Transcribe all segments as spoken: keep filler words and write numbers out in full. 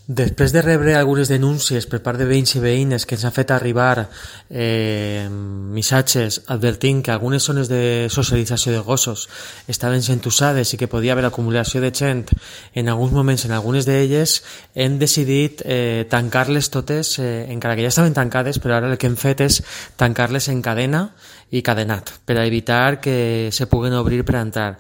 Després de rebre algunes denúncies per part de veïns i veïnes que ens han fet arribar eh, missatges advertint que algunes zones de socialització de gossos estaven sent usades i que podia haver acumulació de gent en alguns moments en algunes d'elles, hem decidit eh, tancar-les totes, eh, encara que ja estaven tancades, però ara el que hem fet és tancar-les en cadena i cadenat, per a evitar que se puguen obrir per entrar.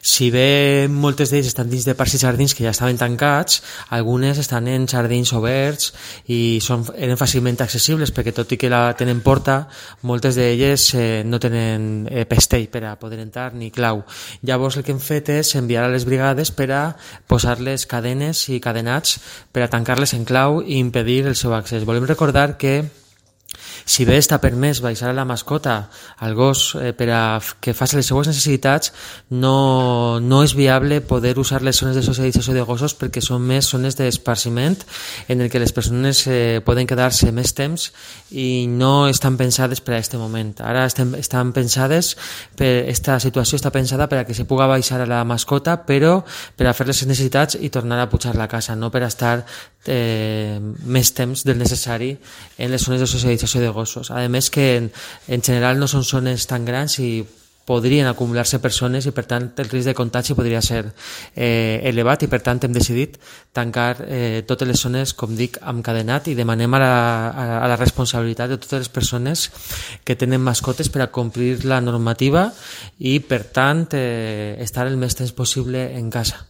Si bé moltes d'ells estan dins de parcs i jardins que ja estaven tancats, algunes estan en jardins oberts i són, eren fàcilment accessibles perquè tot i que la tenen porta, moltes d'elles eh, no tenen eh, pestell per a poder entrar ni clau. Llavors el que hem fet és enviar a les brigades per a posar-les cadenes i cadenats per a tancar-les en clau i impedir el seu accés. Volem recordar que si bé està permès baixar a la mascota, al gos, eh, per a que faci les seues necessitats, no, no és viable poder usar les zones de socialització de gossos perquè són més zones d'esparciment en el que les persones eh, poden quedar-se més temps i no estan pensades per a aquest moment. Ara estem, estan pensades, per, esta situació està pensada per a que se puga baixar a la mascota, però per a fer les necessitats i tornar a pujar la casa, no per a estar eh, més temps del necessari en les zones de socialització de gossos. A més que en, en general no són zones tan grans i podrien acumular-se persones i per tant el risc de contagi podria ser eh, elevat i per tant hem decidit tancar eh, totes les zones, com dic, amb cadenat i demanem a la, a la responsabilitat de totes les persones que tenen mascotes per a complir la normativa i per tant eh, estar el més temps possible en casa.